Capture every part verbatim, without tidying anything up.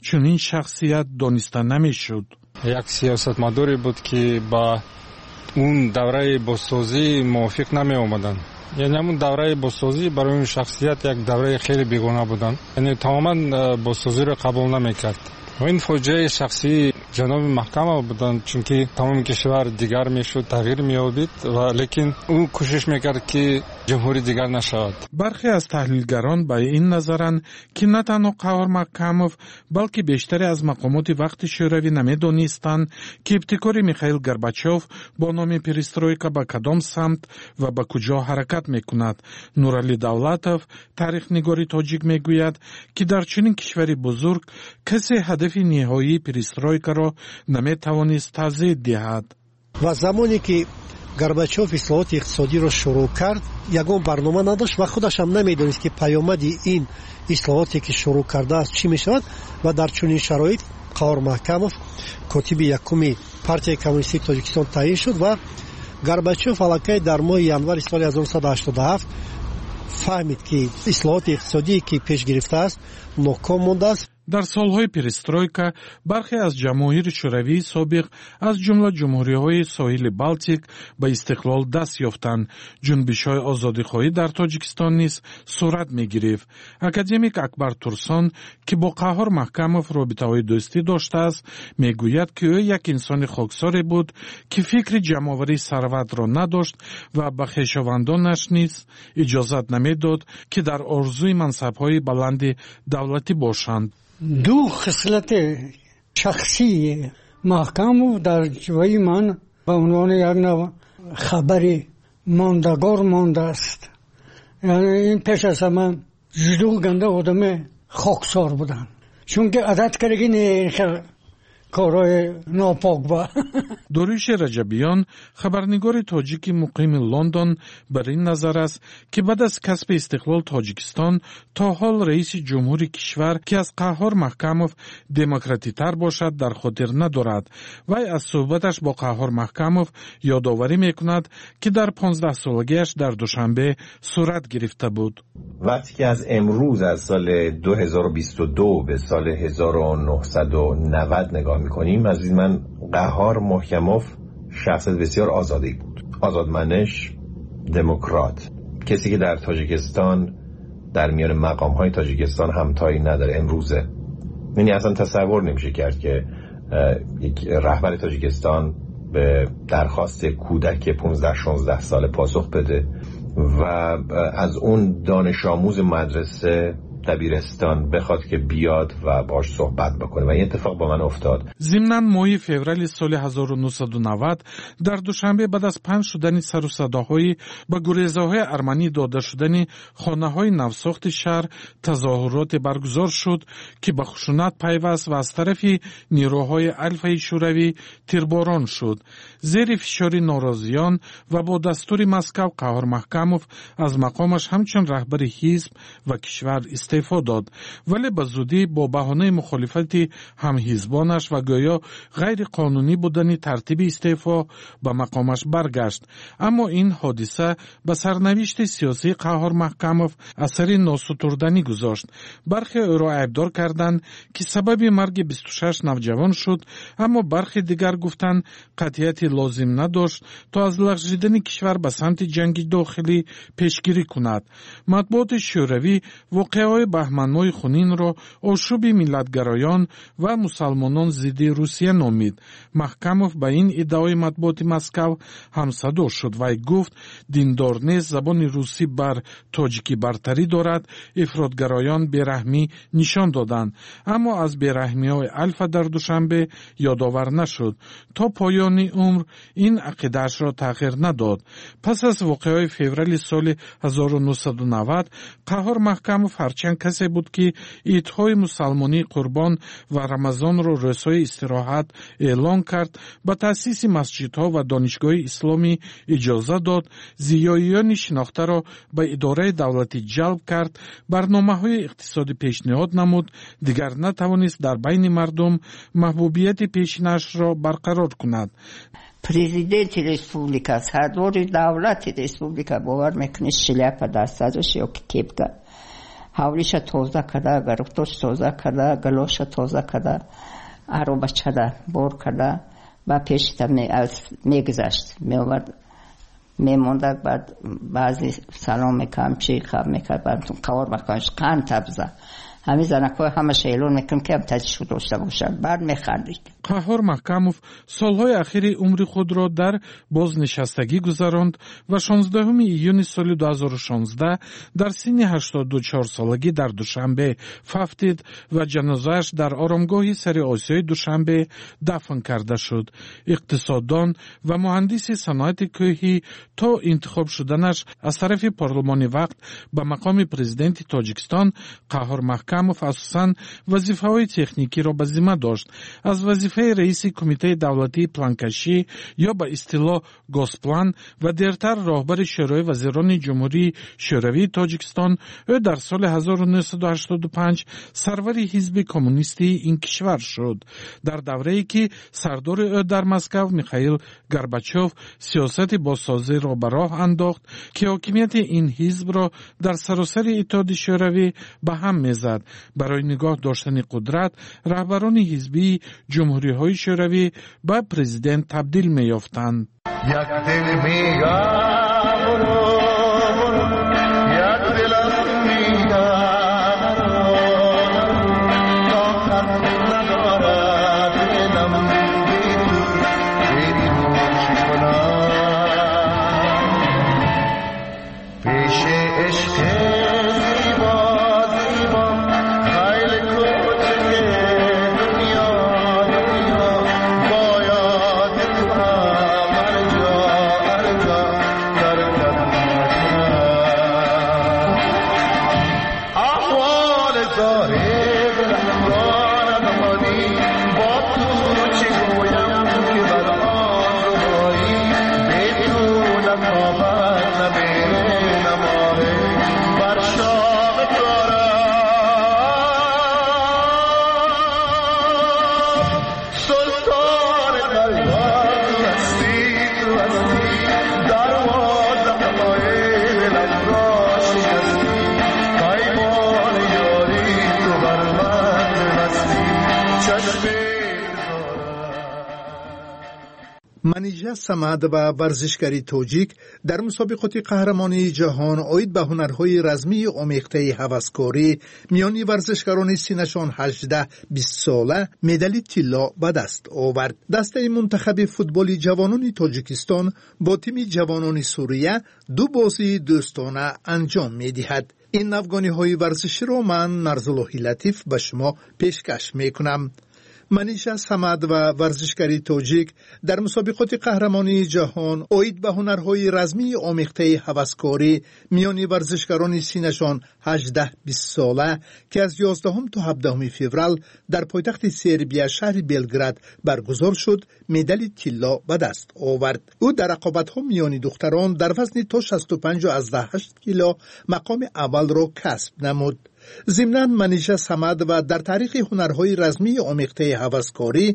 Чунин шахсият дониста намешуд. Як сиёсатмадоре буд, ки ба он давраи бозсозӣ мувофиқ намеомаданд. Яъне ҳамун давраи бозсозӣ барои он шахсият як давраи хеле бегона буданд, яъне тамоман э, бозсозиро қабул намекард. Ва ин фоҷиаи шахсии ҷаноби Маҳкамов буданд, чунки тамоми кишвар дигар мешуд, тағйир меёбид, ва лекин ӯ кӯшиш мекард, ки ҷумҳурӣ дигар нашавад. Бархе аз таҳлилгарон ба ин назаранд, ки на танҳо Қаҳҳор Маҳкамов, балки бештаре аз мақомоти вақти Шӯравӣ намедонистанд, ки ибтикори Михаил Горбачёв бо номи перестройка ба кадом самт ва ба куҷо ҳаракат мекунад. Нуралӣ Давлатов, таърихнигори тоҷик, мегӯяд, ки дар чунин кишвари бузург касе ҳадафи ниҳоии перестройкаро наметавонист тавзеҳ диҳад. Ва замоне ки Горбачёв ислоҳоти иқтисодиро шурӯъ кард, ягон барнома надошт ва худашам намедонист, ки паёмади ин ислоҳоте, ки шурӯъ кардааст, чӣ мешавад. Ва дар чунин шароит Қаҳор Маҳкамов котиби якуми Партияи коммунистии Тоҷикистон таъин шуд ва Горбачёв аллакай дар моҳи январи соли ҳазору нӯҳсаду ҳаштоду ҳафт фаҳмид, ки ислоҳоти иқтисодие, ки пеш гирифтааст, ноком мондааст. Дар солҳои перестройка бархе аз ҷамоҳири Шӯравии собиқ, аз ҷумла ҷумҳуриҳои соҳили Балтик, ба истиқлол даст ёфтанд. Ҷунбишҳои озодихоҳӣ дар Тоҷикистон низ сурат мегирифт. Академик Акбар Турсон, ки бо Қаҳҳор Маҳкамов робитаҳои дӯстӣ доштааст, мегӯяд, ки ӯ як инсони хоксоре буд, ки фикри ҷамъоварии сарватро надошт ва ба хешовандонаш низ иҷозат намедод, ки дар орзуи мансабҳои баланди давлатӣ бошанд. Ду хислати шахсии Маҳкамов дар ҷои ман ба унвони як нав хабари мондагор мондааст. Яъне ин пеш аз ҳама ҷудо ганда одами хоксор буданд, чунки одат кардаги не хел корҳои нопок ба. Дорюши Раҷабиён, хабарнигори тоҷики муқими Лондон, бар ин назар аст, ки баъд аз касби истиқлол Тоҷикистон то ҳол раиси ҷумҳури кишвар, ки аз Қаҳҳор Маҳкамов демократитар бошад, дар хотир надорад. Вай аз суҳбаташ бо Қаҳҳор Маҳкамов ёдоварӣ мекунад, ки дар понздаҳсолагиаш дар Душанбе сурат гирифта буд. وقتی که از امروز، از سال دو هزار و بیست و دو به سال هزار و نهصد و نود نگاه میکنیم، عزیز من، قهار محکموف شخصیت بسیار آزادی بود، آزادمنش، دموکرات، کسی که در تاجیکستان، در میان مقام های تاجیکستان همتایی نداره امروزه. یعنی اصلا تصور نمیشه کرد که یک رهبر تاجیکستان به درخواست کودک پانزده شانزده ساله پاسخ بده و از اون دانش آموز مدرسه دبیرستان بخواد که بیاد و باش صحبت بکنه و این اتفاق با من افتاد. Зимнан, моҳи феврали соли ҳазору нӯҳсаду навад дар Душанбе баъд аз паҳн шудани сару садоҳои ба гурезаҳои арманӣ дода шудани хонаҳои навсохти шаҳр тазоҳуроте баргузор шуд, ки ба хушунат пайваст ва аз тарафи нерӯҳои Алфаи Шӯравӣ тирборон шуд. Зери фишори норозиён ва бо дастури Москав Қаҳҳор Маҳкамов аз мақомаш ҳамчун раҳбари ҳизб ва кишвар истеъфо дод, вале ба зудӣ бо баҳонаи мухолифати ҳамҳизбонаш ва гӯё ғайриқонунӣ будани тартиби истеъфо ба мақомаш баргашт. Аммо ин ҳодиса ба сарнавишти сиёсии Қаҳҳор Маҳкамов асари носутурданӣ гузошт. Бархе ӯро айбдор карданд, ки сабаби марги бисту шаш навҷавон шуд, аммо бархе дигар гуфтанд, қатъияти лозим надошт, то аз лағжидани кишвар ба самти ҷанги дохилӣ пешгирӣ кунад. Матбуоти Шӯравӣ воқеаҳои баҳманмоҳи хунинро ошӯби миллатгароён ва мусалмонон зидди Русия номид. Маҳкамов ба ин иддаои матбуоти Москав ҳамсадо шуд. Вай гуфт, диндор нест, забони русӣ бар тоҷикӣ бартарӣ дорад, ифротгароён бераҳмӣ нишон доданд, аммо аз бераҳмиҳои Алфа дар Душанбе ёдовар нашуд. То поёни умр ин ақидаашро тағйир надод. Пас аз воқеаҳои феврали соли ҳазору нӯҳсаду навад Қаҳҳор Маҳкамов, ҳарчанд касе буд, ки идҳои мусалмонии Қурбон ва Рамазонро рӯзҳои истироҳат эълон кард, ба таъсиси масҷидҳо ва донишгоҳи исломӣ иҷоза дод, зиёиёни шинохтаро ба идораи давлатӣ ҷалб кард, барномаҳои иқтисодӣ пешниҳод намуд, дигар натавонист дар байни мардум маҳбубияти пешинашро барқарор кунад. Президенти республика, сардори давлати республика, бовар мекунӣ, шляпа дар сараш ё ки кепка. Ҳавлиша тоза карда, гаруфтош тоза карда, галоша тоза карда, аробачада бор карда, ба пешта мегузашт, меовард, мемонда, баъд баъзе салом мекардам, чи хаб мекард, баъд қавор мекардам, қанд табза. Ҳамин занакҳои ҳамаша эълон мекунам, ки ҳам таҷшуд дошта бошад. Баъд механдид. Қаҳҳор Маҳкамов солҳои ахири умри худро дар бознишастагӣ гузаронд ва шонздаҳуми июни соли дуҳазору шонздаҳ дар синни ҳаштоду чор солагӣ дар Душанбе фавтид ва ҷанозааш дар оромгоҳи сари Осиёи Душанбе дафн карда шуд. Иқтисоддон ва муҳандиси саноати кӯҳӣ то интихоб шуданаш аз тарафи парлумони вақт ба мақоми президенти Тоҷикистон Қаҳҳор Маҳкамов асосан вазифаҳои техникиро ба зимма дошт. Аз вазифаи раиси Кумитаи давлатии планкашӣ ё ба истилоҳ Госплан ва дертар роҳбари Шӯрои вазирони Ҷумҳурии Шӯравии Тоҷикистон ӯ дар соли ҳазору нӯҳсаду ҳаштоду панҷ сарвари ҳизби коммунистии ин кишвар шуд. Дар даврае ки сардори ӯ дар Москав Михаил Горбачов сиёсати бозсозиро ба роҳ андохт, ки ҳокимияти ин ҳизбро дар саросари Иттиҳоди Шӯравӣ ба ҳам мезад. Барои нигоҳ доштани қудрат раҳбарони ҳизбии ҷумҳуриҳои Шӯравӣ ба президент табдил меёфтанд. Як дил мегам, як дилам мегам, тоқат надорад дилам бе ту, бе ту чӣ кунам? Пеши ишқи зебо зебо خیلی کوچک دنیا دنیا باید تو هم هر جا هر جا ترکت نکنم. احوال زار دلم را ندانی، با تو چه گویم که بر آن ربایی، به تو نخوابد نه میره نه ماهه بر شام کارم. سلطان قلبم هستی تو هستی، دروازه های دلم را شکستی، پیمان یاری تو بر من ببستی، چشم Манижа Самадова, варзишгари тоҷик, дар мусобиқоти қаҳрамонии ҷаҳон оид ба ҳунарҳои размии омехтаи ҳаваскорӣ миёни варзишгарони синнашон ҳаждаҳ бист сола медали тилло ба даст овард. Дастаи мунтахаби футболи ҷавонони Тоҷикистон бо тими ҷавонони Сурия ду бозии дӯстона анҷом медиҳад. Ин навгониҳои варзиширо ман, Нарзуллоҳи Латиф, ба шумо пешкаш мекунам. Манижа Самадова, варзишгари тоҷик, дар мусобиқоти қаҳрамонии ҷаҳон оид ба ҳунарҳои размии омехтаи ҳаваскорӣ миёни варзишгарони синнашон ҳаждаҳ бист сола, ки аз ёздаҳум то ҳабдаҳуми феврал дар пойтахти Сербия шаҳри Белград баргузор шуд, медали тилло ба даст овард. Ӯ дар рақобатҳо миёни духтарон дар вазни то шасту панҷу аздаҳ ҳашт кило мақоми аввалро касб намуд. Зимнан Манижа Самадова дар таърихи ҳунарҳои размии омехтаи ҳаваскорӣ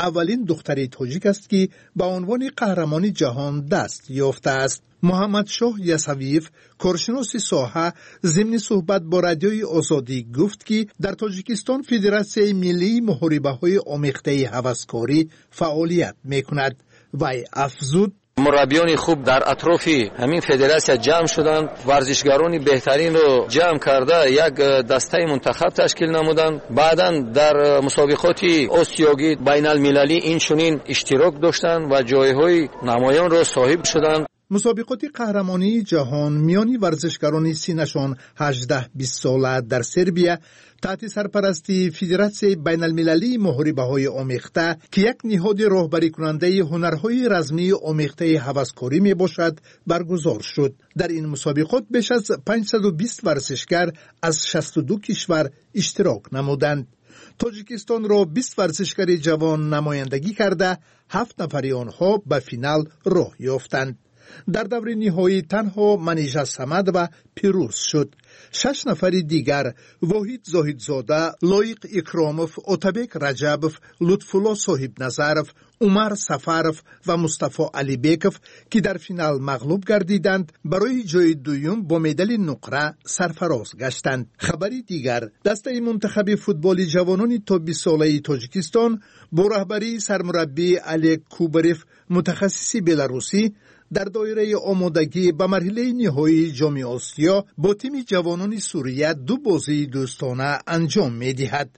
аввалин духтари тоҷик аст, ки ба унвони қаҳрамони ҷаҳон даст ёфтааст. Муҳаммадшоҳ Ясавиев, коршиноси соҳа, зимни суҳбат бо Радиои Озодӣ гуфт, ки дар Тоҷикистон Федератсияи миллии муҳорибаҳои омехтаи ҳаваскорӣ фаъолият мекунад. Вай афзуд: Мураббиёни хуб дар атрофи ҳамин федератсия ҷамъ шуданд, варзишгарони беҳтаринро ҷамъ карда як дастаи мунтахаб ташкил намуданд. Баъдан дар мусобиқоти осиёгӣ, байналмилалӣ инчунин иштирок доштанд ва ҷойҳои намоёнро соҳиб шуданд. Мусобиқоти қаҳрамонии ҷаҳон миёни варзишгарони синнашон ҳаждаҳ бист сола дар Сербия таҳти сарпарастии Федератсияи байналмилалии муҳорибаҳои омехта, ки як ниҳоди роҳбарикунандаи ҳунарҳои размии омехтаи ҳаваскорӣ мебошад, баргузор шуд. Дар ин мусобиқот беш аз панҷсаду бист варзишгар аз шасту ду кишвар иштирок намуданд. Тоҷикистонро бист варзишгари ҷавон намояндагӣ карда, ҳафт нафари онҳо ба финал роҳ ёфтанд. Дар даври ниҳоӣ танҳо Манижа Самадова пирӯз шуд. Шаш нафари дигар, Воҳид Зоҳидзода, Лоиқ Икромов, Отабек Раҷабов, Лутфулло Соҳибназаров, Умар Сафаров ва Мустафо Алибеков, ки дар финал мағлуб гардиданд, барои ҷои дуюм бо медали нуқра сарфароз гаштанд. Хабари дигар: дастаи мунтахаби футболи ҷавонони то бистсолаи Тоҷикистон бо раҳбарии сармураббӣ Олег Кубарев, мутахассиси беларусӣ, дар доираи омодагӣ ба марҳилаи ниҳоии Ҷоми Осиё бо тими ҷавонони Сурия ду бозии дӯстона анҷом медиҳад.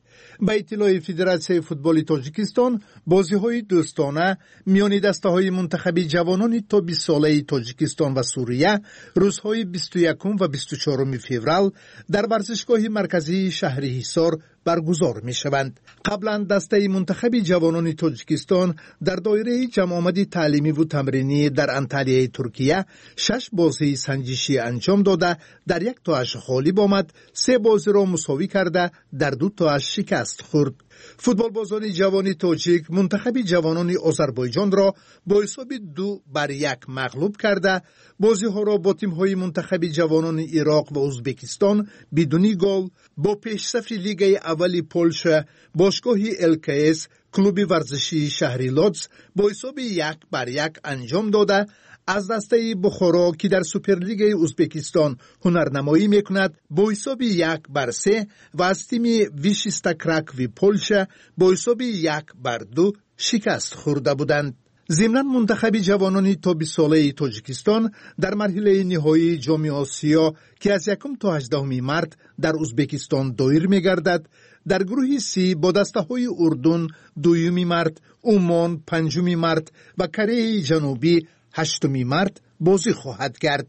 Ба иттилои Федератсияи футболи Тоҷикистон, бозиҳои дӯстона миёни дастаҳои мунтахаби ҷавонони то бистсолаи Тоҷикистон ва Сурия рӯзҳои бисту якум ва бисту чоруми феврал дар варзишгоҳи марказии шаҳри Ҳисор баргузор мешаванд. Қаблан дастаи мунтахаби ҷавонони Тоҷикистон дар доираи ҷамъомади таълимиву тамринӣ дар Анталияи Туркия шаш бозии санҷишӣ анҷом дода, дар як тоаш ғолиб омад, се бозиро мусовӣ карда, дар ду тоаш шикаст хӯрд. Футболбозони ҷавони тоҷик мунтахаби ҷавонони Озарбойҷонро бо ҳисоби ду бар як мағлуб карда, бозиҳоро бо тимҳои мунтахаби ҷавонони Ироқ ва Узбекистон бидуни гол, бо пешсафи Лигаи аввали Полша бошгоҳи Л К С клуби варзишии шаҳри Лодс бо ҳисоби як бар як анҷом дода, аз дастаи Бухоро, ки дар Суперлигаи Узбекистон ҳунарнамоӣ мекунад, бо ҳисоби як бар се ва аз тими Вишиста Кракви Полша бо ҳисоби як бар ду шикаст хӯрда буданд. Зимнан, мунтахаби ҷавонони то бистсолаи Тоҷикистон дар марҳилаи ниҳоии Ҷоми Осиё, ки аз якум то ҳаждаҳуми март дар Узбекистон доир мегардад, дар гурӯҳи Си бо дастаҳои Урдун дуюми март, Умон панҷуми март ва Кореяи Ҷанубӣ ҳаштуми март бозӣ хоҳад кард.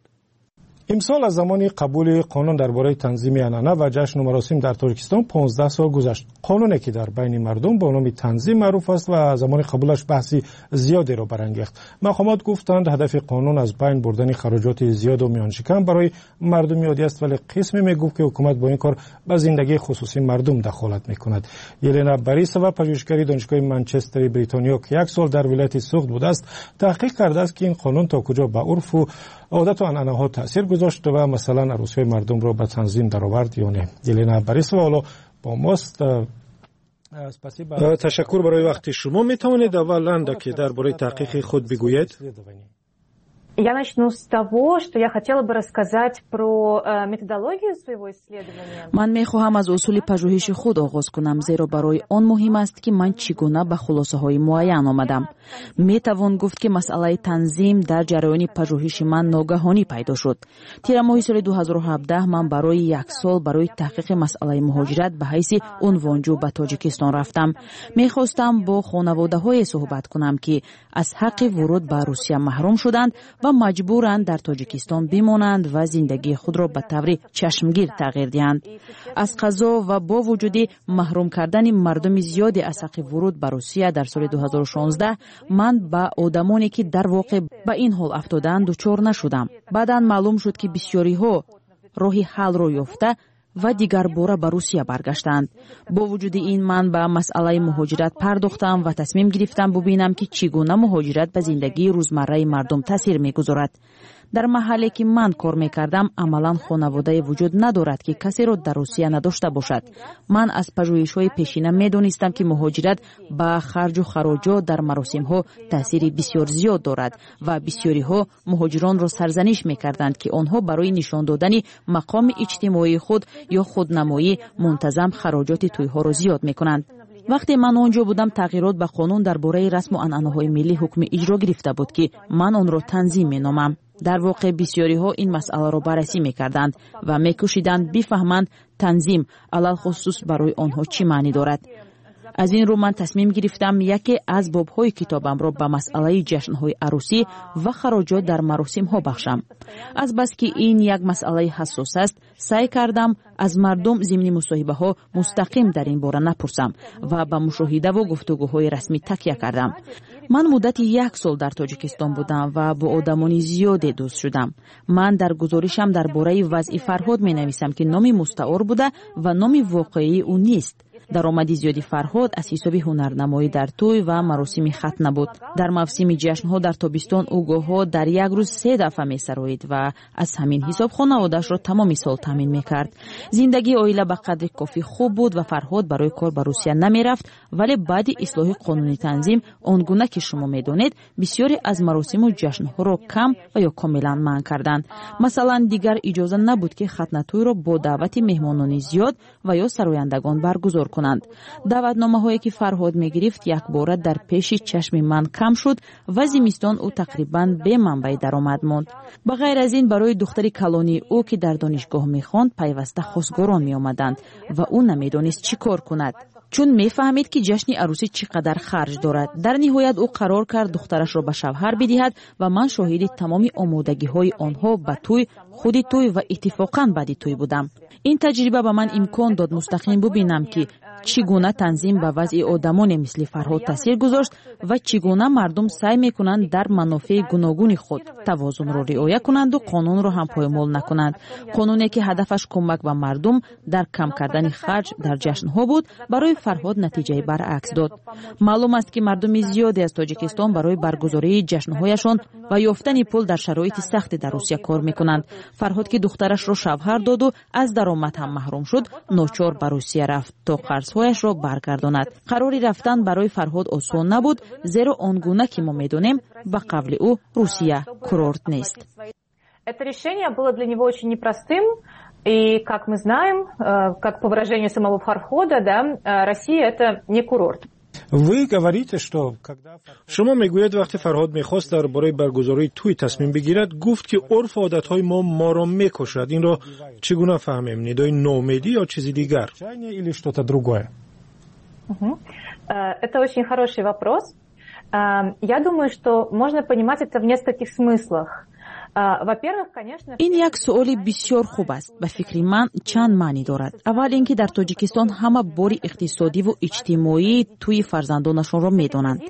Имсол аз замони қабули қонун дар бораи танзими анъана ва ҷашну маросим дар Тоҷикистон понздаҳ сол гузашт. Қонуне, ки дар байни мардум бо номи Танзим маъруф аст ва замони қабулаш баҳси зиёдеро барангехт. Мақомот гуфтанд, ҳадафи қонун аз байн бурдани хароҷоти зиёду миёншикан барои мардуми оддӣ аст, вале қисме мегуфт, ки ҳукумат бо ин кор ба зиндагии хусусии мардум дахолат мекунад. Елена Борисова, пажӯҳишгари Донишгоҳи Манчестери Бритониё, ки як сол дар вилояти Суғд будааст, таҳқиқ кардааст, ки ин қонун то куҷо ба урфу одату анъанаҳо таъсир гузошт ва масалан арӯсиҳои мардумро ба танзим даровард ё не. Елена Борисова ҳоло бо мост. Ташаккур барои вақти шумо. Метавонед аввал андаке дар бораи таҳқиқи худ бигӯед? Я начну с того, что я хотела бы рассказать про э, методологию своего исследования. Ман мехоҳам аз усули пажӯҳиши худ оғоз кунам, зеро барои он муҳим аст, ки ман чӣ гуна ба хулосаҳои муайян омадам. Метавон гуфт, ки масъалаи танзим дар ҷараёни пажӯҳиши ман ногаҳонӣ пайдо шуд. Тирамоҳи соли ду ҳазору ҳабдаҳ ман барои як сол барои таҳқиқи масъалаи муҳоҷират ба ҳайси унвонҷӯ ба Тоҷикистон рафтам. Мехостам бо хонаводаҳое суҳбат кунам, ки аз ҳаққи вуруд ба Русия маҳрум шуданд ва маҷбуранд дар Тоҷикистон бимонанд ва зиндагии худро ба таври чашмгир тағйир диҳанд. Аз қазо ва бо вуҷуди маҳрум кардани мардуми зиёде аз ҳаққи вуруд ба Русия дар соли ду ҳазору шонздаҳ, ман ба одамоне, ки дар воқеъ ба ин ҳол афтодаанд, дучор нашудам. Баъдан маълум шуд, ки бисёриҳо роҳи ҳаллро ёфта ва дигарбора ба Русия баргаштанд. Бо вуҷуди ин, ман ба масъалаи муҳоҷират пардохтам ва тасмим гирифтам бубинам, ки чӣ гуна муҳоҷират ба зиндагии рӯзмарраи мардум таъсир мегузорад. Дар маҳалле, ки ман кор мекардам, амалан хонаводае вуҷуд надорад, ки касеро дар Русия надошта бошад. Ман аз пажӯҳишҳои пешина медонистам, ки муҳоҷират ба харҷу хароҷот дар маросимҳо таъсири бисёр зиёд дорад ва бисёриҳо муҳоҷиронро сарзаниш мекарданд, ки онҳо барои нишон додани мақоми иҷтимоии худ ё худнамоӣ мунтазам хароҷоти тӯйҳоро зиёд мекунанд. Вақте ман он ҷо будам, тағйирот ба қонун дар бораи расму анъанаҳои миллӣ ҳукми иҷро гирифта буд, ки ман онро Танзим меномам. Дар воқеъ, бисёриҳо ин масъаларо баррасӣ мекарданд ва мекӯшиданд бифаҳманд, Танзим алалхусус барои онҳо чӣ маънӣ дорад. Аз ин рӯ ман тасмим гирифтам яке аз бобҳои китобамро ба масъалаи ҷашнҳои арӯсӣ ва хароҷот дар маросимҳо бахшам. Азбаски ин як масъалаи ҳассос аст, саъй кардам аз мардум зимни мусоҳибаҳо мустақим дар ин бора напурсам ва ба мушоҳидаву гуфтугӯҳои расмӣ такя кардам. Ман муддати як сол дар Тоҷикистон будам ва бо одамони зиёде дӯст шудам. Ман дар гузоришам дар бораи вазъи Фарҳод менависам, ки номи мустаор буда ва номи воқеии ӯ нест. Даромади зиёди Фарҳод аз ҳисоби ҳунарнамоӣ дар тӯй ва маросими хатна буд. Дар мавсими ҷашнҳо дар тобистон ӯ гоҳҳо дар як рӯз се дафъа месароид ва аз ҳамин ҳисоб хонаводаашро тамоми сол таъмин мекард. Зиндагии оила ба қадри кофӣ хуб буд ва Фарҳод барои кор ба Русия намерафт, вале баъди ислоҳи қонуни танзим, он гуна ки шумо медонед, бисёре аз маросиму ҷашнҳоро кам ва ё комилан манъ карданд. Масалан, дигар иҷоза набуд, ки хатнатӯйро бо даъвати меҳмонони зиёд ва ё сарояндагон баргузор кунанд. Даъватномаҳое ки Фарҳод мегирифт, якбора дар пеши чашми ман кам шуд ва зимистон ӯ тақрибан бе манбаи даромад монд. Ба ғайр аз ин, барои духтари калонии ӯ, ки дар донишгоҳ мехонд, пайваста хостгорон меомаданд ва ӯ намедонист чӣ кор кунад, чун мефаҳмид, ки ҷашни арӯсӣ чӣ қадар харҷ дорад. Дар ниҳоят ӯ қарор кард духтарашро ба шавҳар бидиҳад ва ман шоҳиди тамоми омодагиҳои онҳо ба тӯй, худи тӯй ва иттифоқан баъди тӯй будам. Ин таҷриба ба ман имкон дод мустақим бубинам, ки чӣ гуна танзим ба вазъи одамоне мисли Фарҳод таъсир гузошт ва чӣ гуна мардум саъй мекунанд дар манофеи гуногуни худ тавозунро риоя кунанду қонунро ҳам поймол накунанд. Қонуне ки ҳадафаш кӯмак ба мардум дар кам кардани харҷ дар ҷашнҳо буд, барои Фарҳод натиҷаи баръакс дод. Маълум аст, ки мардуми зиёде аз Тоҷикистон барои баргузории ҷашнҳояшон ва ёфтани пул дар шароити сахте дар Русия кор мекунанд. Фарҳод, ки духтарашро шавҳар доду аз даромад ҳам маҳрум шуд, ночор ба Русия рафт, то қарзҳояшро баргардонад. Қарори рафтан барои Фарҳод осон набуд, зеро он гуна ки мо медонем, ба қавли ӯ, Русия курорт нест. Это решение было для него очень непростым. И, как мы знаем, как по выражению самого Фархода, да, Россия – это не курорт. Вы говорите, что когда шумо мегӯед, вақте Фарҳод мехост дар бораи баргузории тӯй тасмим бигирад, гуфт, ки урфу одатҳои мо моро мекушад. Инро чӣ гуна фаҳмем? Нидои ноумедӣ ё чизи дигар? Или что-то другое? Это очень хороший вопрос. Я думаю, что можно понимать это в нескольких смыслах. Ин як суоли бисёр хуб аст. Ба фикри ман, чанд маънӣ дорад. Аввал ин ки дар Тоҷикистон ҳама бори иқтисодиву иҷтимоии тӯи фарзандонашонро медонанд.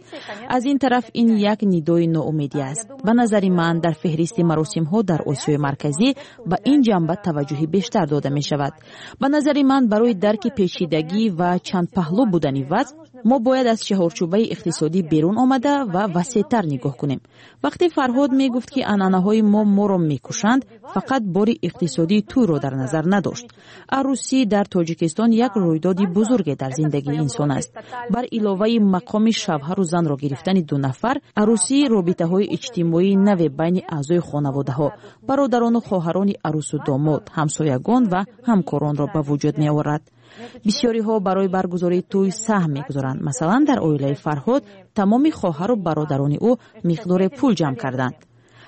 Аз ин тараф, ин як нидои ноумедӣ аст. Ба назари ман, дар феҳристи маросимҳо дар Осиёи Марказӣ ба ин ҷанба таваҷҷӯҳи бештар дода мешавад. Ба назари ман, барои дарки печидагӣ ва чандпаҳлӯ будани вазъ мо бояд аз чаҳорчӯбаи иқтисодӣ берун омада ва васеътар нигоҳ кунем. Вақте Фарҳод мегуфт, ки анъанаҳои мо моро мекушанд, фақат бори иқтисодии тӯйро дар назар надошт. Арӯсӣ дар Тоҷикистон як рӯйдоди бузурге дар зиндагии инсон аст. Бар иловаи мақоми шавҳару занро гирифтани ду нафар, арӯсӣ робитаҳои иҷтимоии наве байни аъзои хонаводаҳо, бародарону хоҳарони арӯсу домод, ҳамсоягон ва ҳамкоронро ба вуҷуд меорад. Бисёриҳо барои баргузории тӯй саҳм мегузоранд. Масалан, дар оилаи Фарҳод тамоми хоҳару бародарони ӯ миқдоре пул ҷамъ карданд.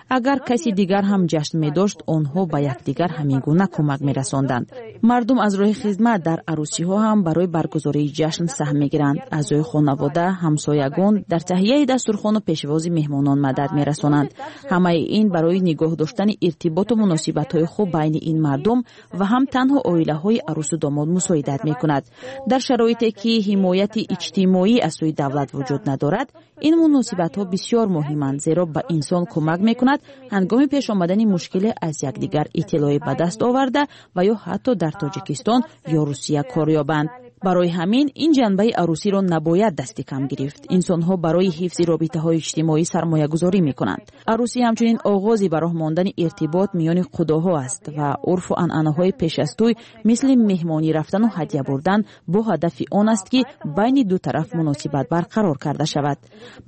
Агар каси дигар ҳам ҷашн медошт, онҳо ба якдигар ҳамин гуна кӯмак мерасонданд. Мардум аз роҳи хизмат дар арӯсиҳо ҳам барои баргузории ҷашн саҳм мегиранд. Аъзои хонавода, ҳамсоягон дар таҳияи дастурхону пешвози меҳмонон мадад мерасонанд. Ҳамаи ин барои нигоҳ доштани иртиботу муносибатҳои хуб байни ин мардум ва ҳам танҳо оилаҳои арӯсу домод мусоидат мекунад. Дар шароите ки ҳимояти иҷтимоӣ аз сӯи давлат вуҷуд надорад, ин муносибатҳо бисёр муҳиманд, зеро ба инсон кӯмак мекунад ҳангоми пеш омадани мушкиле аз якдигар иттилоъе ба даст оварда ва ё ҳатто дар Тоҷикистон ё Русия кор ёбанд. Барои ҳамин ин ҷанбаи арӯсиро набояд дасти кам гирифт. Инсонҳо барои ҳифзи робитаҳои иҷтимоӣ сармоягузорӣ мекунанд. Арӯсӣ ҳамчунин оғози ба роҳ мондани иртибот миёни қудоҳо аст ва урфу анъанаҳои пеш аз тӯй, мисли меҳмонӣ рафтану ҳадя бурдан, бо ҳадафи он аст, ки байни ду тараф муносибат барқарор карда шавад.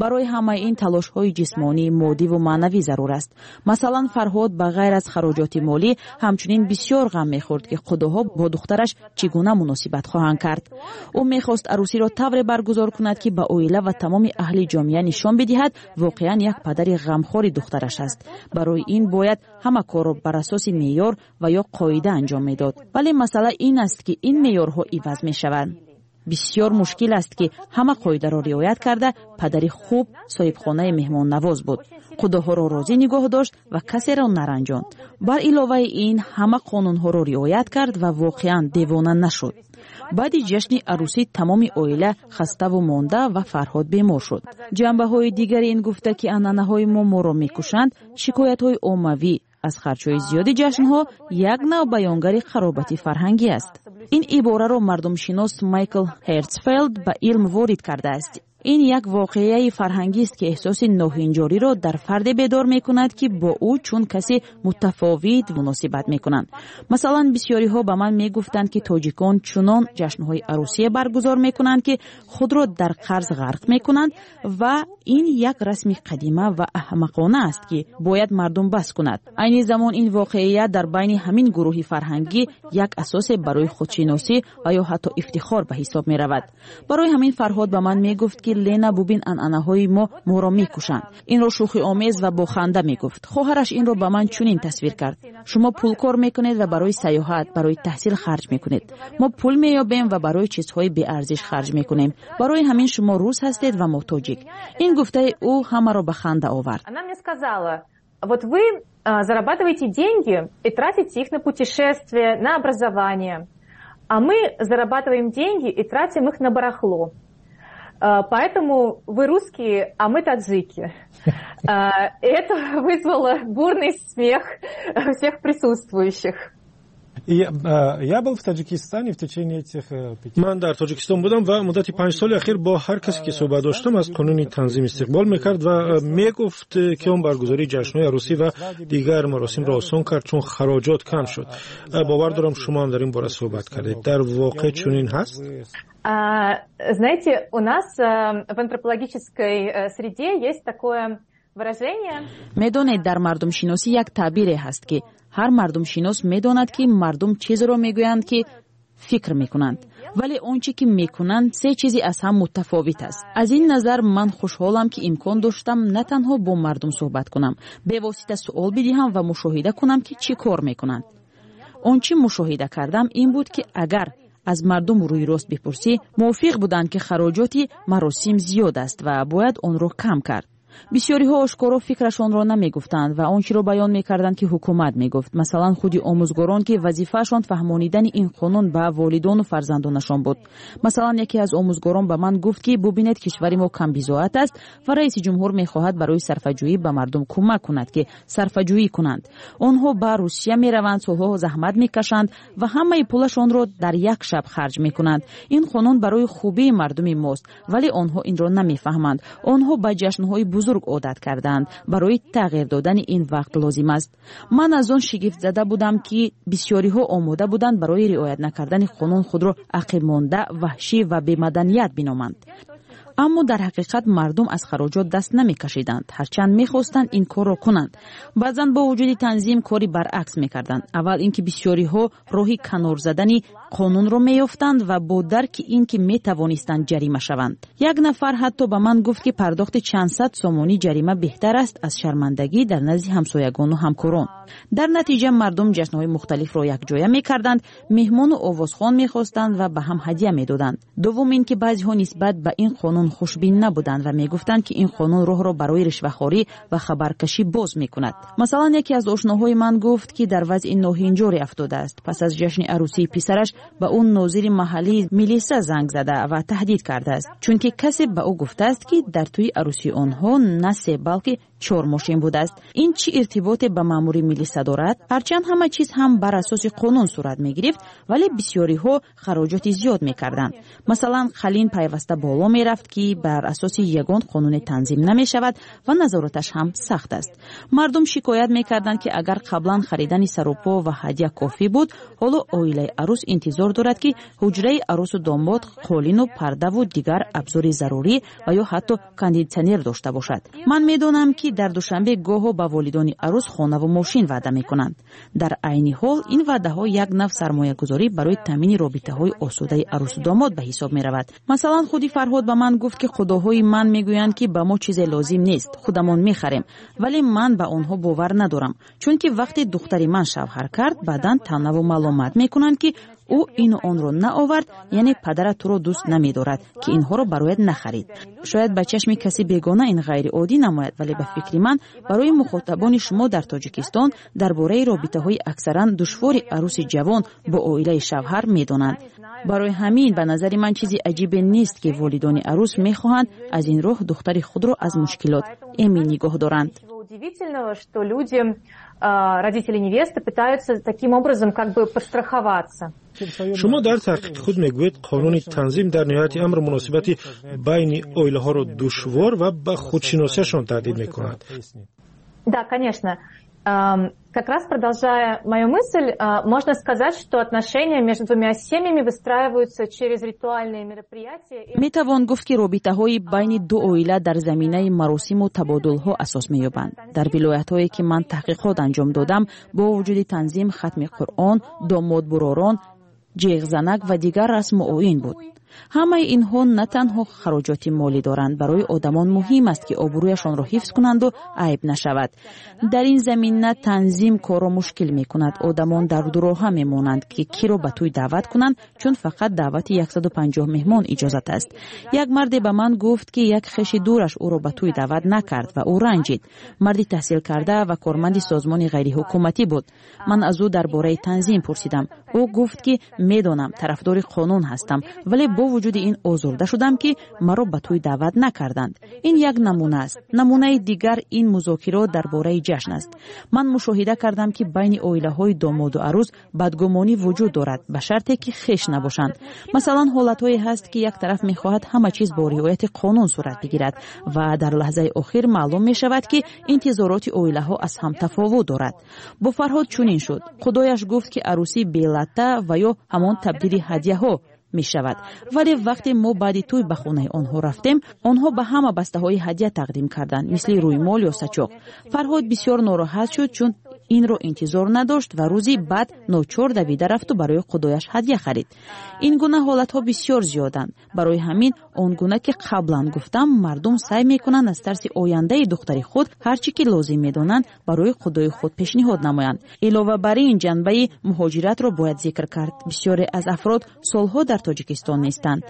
Барои ҳамаи ин талошҳои ҷисмонӣ, моддиву маънавӣ зарур аст. Масалан, Фарҳод ба ғайр аз хароҷоти молӣ ҳамчунин бисёр ғам мехӯрд, ки қудоҳо бо духтараш чӣ гуна муносибат хоҳанд кард. Ӯ мехост арӯсиро тавре баргузор кунад, ки ба оила ва тамоми аҳли ҷомеа нишон бидиҳад, воқеан як падари ғамхори духтараш аст. Барои ин бояд ҳама корро бар асоси меъёр ва ё қоида анҷом медод. Вале масъала ин аст, ки ин меъёрҳо иваз мешаванд. Бисёр мушкил аст, ки ҳама қоидаро риоят карда падари хуб, соҳибхонаи меҳмоннавоз буд, қудоҳоро розӣ нигоҳ дошт ва касеро наранҷонд. Бар иловаи ин, ҳама қонунҳоро риоят кард ва воқеан девона нашуд. Баъди ҷашни арӯсӣ тамоми оила хаставу монда ва Фарҳод бемор шуд. Ҷанбаҳои дигари ин гуфта, ки анъанаҳои мо моро мекушанд, шикоятҳои оммавӣ Аз харҷҳои зиёди ҷашнҳо як нав баёнгари қаробати фарҳангӣ аст. Ин ибораро мардумшинос Майкл Хертсфелд ба илм ворид кардааст. Ин як воқеаи фарҳангист, ки эҳсоси ноҳинҷориро дар фарде бедор мекунад, ки бо ӯ чун касе мутафовит муносибат мекунанд. Масалан, бисёриҳо ба ман мегуфтанд, ки тоҷикон чунон ҷашнҳои арӯсие баргузор мекунанд, ки худро дар қарз ғарқ мекунанд ва ин як расми қадима ва аҳмақона аст, ки бояд мардум бас кунад. Айни замон ин воқеият дар байни ҳамин гурӯҳи фарҳангӣ як асосе барои худшиносӣ ва ё ҳатто ифтихор ба ҳисоб меравад. Барои ҳамин Фарҳод ба ман мегуфт, ки Лена, бубин, анъанаҳои мо моро мекушанд. Инро шӯхиомез ва бо ханда мегуфт. Хоҳараш инро ба ман чунин тасвир кард: шумо пул кор мекунед ва барои сайёҳат, барои таҳсил харҷ мекунед. Мо пул меёбем ва барои чизҳои беарзиш харҷ мекунем. Барои ҳамин шумо рус ҳастед ва мо тоҷик. Ин гуфтаи ӯ ҳамаро ба ханда овард. Она мне сказала: вот вы зарабатываете деньги и тратите их на путешествия, на образование, а мы зарабатываем деньги и тратим их на барахло. Поэтому вы русские, а мы таджики. Это вызвало бурный смех всех присутствующих. Я был в Таджикистане в течение этих пяти... Ман дар Тоҷикистон будам ва муддати панҷ соли ахир бо ҳар касе ки суҳбат доштам, аз қонуни танзим истиқбол мекард ва мегуфт, ки он баргузории ҷашнҳои арӯсӣ ва дигар маросимро осон кард, чун хароҷот кам шуд. Бовар дорам, шумо ҳам дар ин бора суҳбат кардед. Дар воқеъ чунин ҳаст? Знаете, у нас в антропологической среде есть такое выражение. Медонед, дар мардумшиносӣ як таъбире ҳаст, ки ҳар мардумшинос медонад, ки мардум чизеро мегӯянд, ки фикр мекунанд, вале он чӣ ки мекунанд, се чизи аз ҳам мутафовит аст. Аз ин назар ман хушҳолам, ки имкон доштам на танҳо бо мардум суҳбат кунам, бевосита суол бидиҳам ва мушоҳида кунам, ки чӣ кор мекунанд. Он чӣ мушоҳида кардам ин буд, ки агар аз мардум рӯйрост бипурсӣ, мувофиқ буданд, ки хароҷоти маросим зиёд аст ва бояд онро кам кард. Бисёриҳо ошкоро фикрашонро намегуфтанд ва он чиро баён мекарданд, ки ҳукумат мегуфт. Масалан, худи омӯзгорон, ки вазифаашон фаҳмонидани ин қонун ба волидону фарзандонашон буд. Масалан, яке аз омӯзгорон ба ман гуфт, ки бубинед, кишвари мо камбизоат аст ва раиси ҷумҳур мехоҳад барои сарфаҷӯӣ ба мардум кӯмак кунад, ки сарфаҷӯӣ кунанд. Онҳо ба Русия мераванд, солҳо заҳмат мекашанд ва ҳамаи пулашонро дар як шаб харҷ мекунанд. Ин қонун барои хубии мардуми мост, вале онҳо инро намефаҳманд. Онҳо ба ҷашнҳои бузург одат карданд. Барои тағйир додани ин вақт лозим аст. Ман аз он шигифтзада будам, ки бисёриҳо омода буданд барои риоят накардани қонун худро ақибмонда, ваҳшӣ ва бемаданият биноманд. Аммо дар ҳақиқат мардум аз хароҷот даст намекашиданд, ҳарчанд мехостанд ин корро кунанд. Баъзан бо вуҷуди танзим кори баръакс мекарданд. Аввал ин ки бисёриҳо роҳи канор задани қонунро меёфтанд ва бо дарки ин ки метавонистанд ҷарима шаванд. Як нафар ҳатто ба ман гуфт, ки пардохти чанд сад сомонӣ ҷарима беҳтар аст аз шармандагӣ дар назди ҳамсоягону ҳамкорон. Дар натиҷа мардум ҷашнҳои мухталифро якҷоя мекарданд, меҳмону овозхон мехостанд ва ба ҳам ҳадя медоданд. Дуввум ин ки баъзеҳо нисбат ба ин қонун хушбин набуданд ва мегуфтанд, ки ин қонун роҳро барои ришвахорӣ ва хабаркашӣ боз мекунад. Масалан, яке аз ошноҳои ман гуфт, ки дар вазъи ноҳинҷоре афтодааст. Пас аз ҷашни арӯсии писараш ба ӯ нозири маҳаллии милиса занг зада ва таҳдид кардааст, чунки касе ба ӯ гуфтааст, ки дар тӯи арӯсии онҳо на се, балки чор мошин будааст. Ин чӣ иртиботе ба маъмури милиса дорад? Ҳарчанд ҳама чиз ҳам бар асоси қонун сурат мегирифт, вале бисёриҳо хароҷоти зиёд мекарданд. Масалан, қалин пайваста боло мерафт, ки бар асоси ягон қонуне танзим намешавад ва назораташ ҳам сахт аст. Мардум шикоят мекарданд, ки агар қаблан харидани сарупо ва ҳадя кофӣ буд, ҳоло оилаи арӯс интизор дорад, ки ҳуҷраи арӯсу домод қолину пардаву дигар абзори зарурӣ ва ё ҳатто кондитсионер дошта бошад. Ман медонам, ки дар Душанбе гоҳо ба волидони арӯс хонаву мошин ваъда мекунанд. Дар айни ҳол ин ваъдаҳо як нав сармоягузорӣ барои таъмини робитаҳои осудаи арӯсу домод ба ҳисоб меравад. Масалан, худи Фарҳод ба ман гуфт, ки худоҳои ман мегӯянд, ки ба мо чизе лозим нест, худамон мехарем, вале ман ба онҳо бовар надорам, чунки вақте духтари ман шавҳар кард, баъдан таънаву маломат мекунанд, ки ӯ ину онро наовард, яъне падарат туро дӯст намедорад, ки инҳоро барояд нахарид. Шояд ба чашми каси бегона ин ғайриоддӣ намояд, вале ба фикри ман барои мухотабони шумо дар Тоҷикистон дар бораи робитаҳои аксаран душвори арӯси ҷавон бо оилаи шавҳар медонанд. Барои ҳамин ба назари ман чизи аҷибе нест, ки волидони арӯс мехоҳанд аз ин роҳ духтари худро аз мушкилот эмин нигоҳ доранд. Удивительного, что люди, родители невесты, пытаются таким образом как бы подстраховаться. Шумо дар таҳқиқи худ мегӯед, қонуни танзим дар ниҳояти амр муносибати байни оилаҳоро душвор ва ба худшиносиашон таҳдид мекунад. Да, конечно. Как раз продолжая мою мысль, можно сказать, что отношения между двумя семьями выстраиваются через ритуальные мероприятия. Метавон гуфт, ки робитаҳои байни ду оила дар заминаи маросиму табодулҳо асос меёбанд. Дар вилоятҳое, ки ман таҳқиқот анҷом додам, бо вуҷуди танзим, хатми Қуръон, домодбуророн, ҷеғзанак ва дигар расму оин буд. Ҳамаи инҳо на танҳо хароҷоти молӣ доранд, барои одамон муҳим аст, ки обрӯяшонро ҳифз кунанду айб нашавад. Дар ин замина танзим корро мушкил мекунад. Одамон дар дуроҳа мемонанд, ки киро ба тӯй даъват кунанд, чун фақат даъвати яксаду панҷоҳ меҳмон иҷозат аст. Як марде ба ман гуфт, ки як хеши дураш ӯро ба тӯй даъват накард ва ӯ ранҷид. Марди таҳсилкарда ва корманди созмони ғайриҳукуматӣ буд. Ман аз ӯ дар бораи танзим пурсидам. Ӯ гуфт, ки медонам, тарафдори қонун ҳастам, вале бо вуҷуди ин озурда шудам, ки маро ба тӯй даъват накарданд. Ин як намуна аст. Намунаи дигар ин музокирот дар бораи ҷашн аст. Ман мушоҳида кардам, ки байни оилаҳои домоду арӯс бадгумонӣ вуҷуд дорад, ба шарте ки хеш набошанд. Масалан, ҳолатҳое ҳаст, ки як тараф мехоҳад ҳама чиз бо риояти қонун сурат бигирад ва дар лаҳзаи охир маълум мешавад, ки интизороти оилаҳо аз ҳам тафовут дорад. Бо Фарҳод чунин шуд. Худояш гуфт, ки арӯсӣ белатта ва ё ҳамон табдили ҳадяҳо мешавад, вале вақте мо баъди тӯй ба хонаи онҳо рафтем, онҳо ба ҳама бастаҳои ҳадя тақдим карданд, мисли рӯймол ё сачоқ. Фарҳод бисёр нороҳат шуд, чун инро интизор надошт ва рӯзи баъд ночор давида рафту барои худояш ҳадя харид. Ин гуна ҳолатҳо бисёр зиёданд. Барои ҳамин, он гуна ки қаблан гуфтам, мардум саъй мекунанд аз тарси ояндаи духтари худ ҳар чӣ ки лозим медонанд, барои худои худ пешниҳод намоянд. Илова бар ин, ҷанбаи муҳоҷиратро бояд зикр кард. Бисёре аз афрод солҳо дар Тоҷикистон нестанд.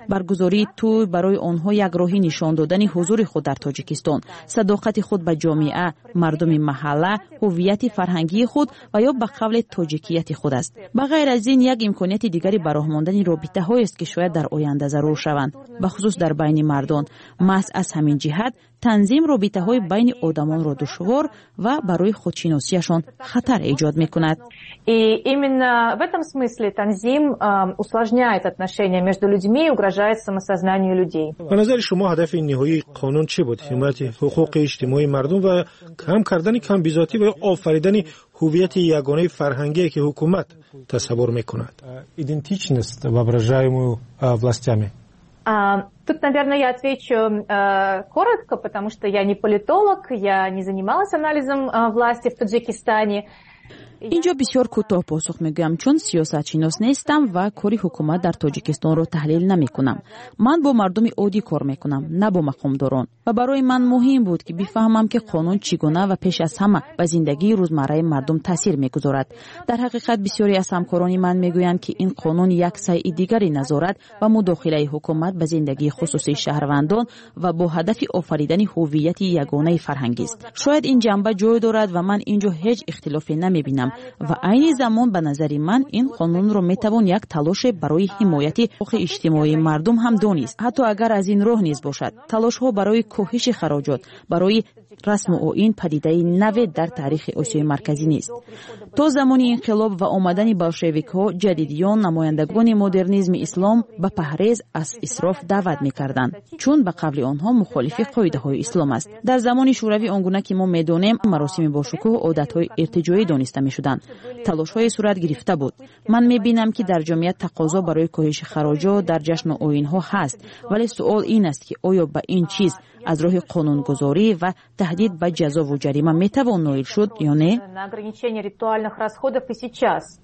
Баргузории тӯй барои онҳо як роҳи нишон додани ҳузури худ дар Тоҷикистон, садоқати худ ба ҷомеа, мардуми маҳалла, ҳуввияти фарҳангии худ ва ё ба қавле тоҷикияти худ аст. Ба ғайр аз ин, як имконияти дигари ба роҳ мондани робитаҳоест, ки шояд дар оянда зарур шаванд, бахусус дар байни мардон. Маҳз аз ҳамин ҷиҳат танзим робитаҳои байни одамонро душвор ва барои худшиносиашон хатар эҷод мекунад. И именно в этом смысле танзим усложняет отношения между людьми и угрожает самосознанию людей. Ба назари шумо, ҳадафи ниҳоии қонун чӣ буд? Ҳимояти ҳуқуқи иҷтимоии мардум ва кам кардани камбизоатӣ ва ё офаридани ҳуввияти ягонаи фарҳангие, ки ҳукумат тасаввур мекунад? Идентичность, воображаемую властями. Тут, наверное, я отвечу э, коротко, потому что я не политолог, я не занималась анализом э, власти в Таджикистане. Инҷо бисёр кӯтоҳ посух мегӯям, чун сиёсатшинос нестам ва кори ҳукумат дар Тоҷикистонро таҳлил намекунам. Ман бо мардуми оддӣ кор мекунам, на бо мақомдорон, ва барои ман муҳим буд, ки бифаҳмам, ки қонун чӣ гуна ва пеш аз ҳама ба зиндагии рӯзмарраи мардум таъсир мегузорад. Дар ҳақиқат, бисёре аз ҳамкорони ман мегӯянд, ки ин қонун як сайи дигари назорат ва мудохилаи ҳукумат ба зиндагии хусусии шаҳрвандон ва бо ҳадафи офаридани ҳуввияти ягонаи фарҳангист. Шояд ин ҷанба ҷой дорад ва ман ин ҷо ҳеҷ ихтилофе намебинам. Ва айни замон, ба назари ман, ин қонунро метавон як талоше барои ҳимояти ҳуқуқи иҷтимоии мардум ҳам донист, ҳатто агар аз ин роҳ низ бошад. Талошҳо барои коҳиши хароҷот барои расму оин падидаи наве дар таърихи Осиёи Марказӣ нест. То замони инқилоб ва омадани болшевикҳо, ҷадидиён, намояндагони модернизми ислом ба паҳрез аз исроф даъват мекарданд, чун ба қавли онҳо мухолифи қоидаҳои ислом аст. Дар замони Шӯравӣ, он гуна ки мо медонем, маросими бошукӯҳ одатҳои иртиҷоӣ дониста мешуданд. Талошҳое сурат гирифта буд. Ман мебинам, ки дар ҷомеа тақозо барои коҳиши хароҷот дар ҷашну оинҳо ҳаст, вале суол ин аст, ки оё ба ин чиз аз роҳи қонунгузорӣ ва таҳдид ба ҷазову ҷарима метавон ноил шуд ё не. На ограничение ритуальных расходов и сейчас.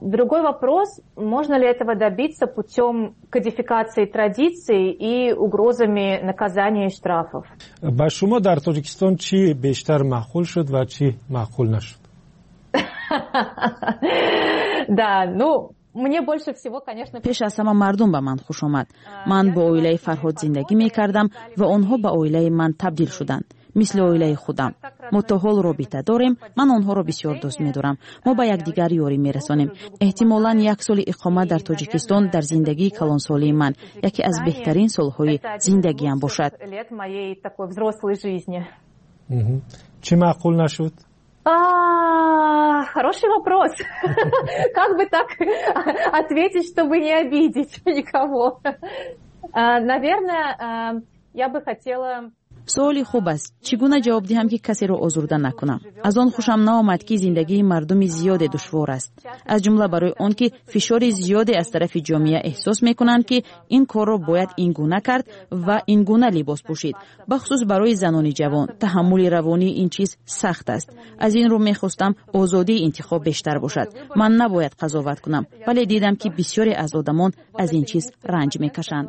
Другой вопрос, можно ли этого добиться путем кодификации традиций и угрозами наказания и штрафов. Ба шумо дар Тоҷикистон чӣ бештар маъқул шуд ва чӣ маъқул нашуд? Да, ну, мне больше всего, конечно. Пеш аз ҳама мардум ба ман хуш омад. Ман бо оилаи Фарҳод зиндагӣ мекардам ва онҳо ба оилаи ман табдил шуданд. Мисли оилаи худам. Мо то ҳол робита дорем. Ман онҳоро бисёр дӯст медорам. Мо ба якдигар ёрӣ мерасонем. Эҳтимолан, як соли иқомат дар Тоҷикистон дар зиндагии калонсолии ман яке аз беҳтарин солҳои зиндагиам бошад. Чӣ маъқул нашуд? Хороший вопрос. Как бы так ответить, чтобы не обидеть никого? Наверное, я бы хотела. Суоли хуб аст. Чӣ гуна ҷавоб диҳам, ки касеро озурда накунам? Аз он хушам наомад, ки зиндагии мардуми зиёде душвор аст, аз ҷумла барои он ки фишори зиёде аз тарафи ҷомеа эҳсос мекунанд, ки ин корро бояд ин гуна кард ва ин гуна либос пӯшид. Бахусус барои занони ҷавон таҳаммули равонии ин чиз сахт аст. Аз ин рӯ мехостам озодии интихоб бештар бошад. Ман набояд қазоват кунам, вале дидам, ки бисёре аз одамон аз ин чиз ранҷ мекашанд.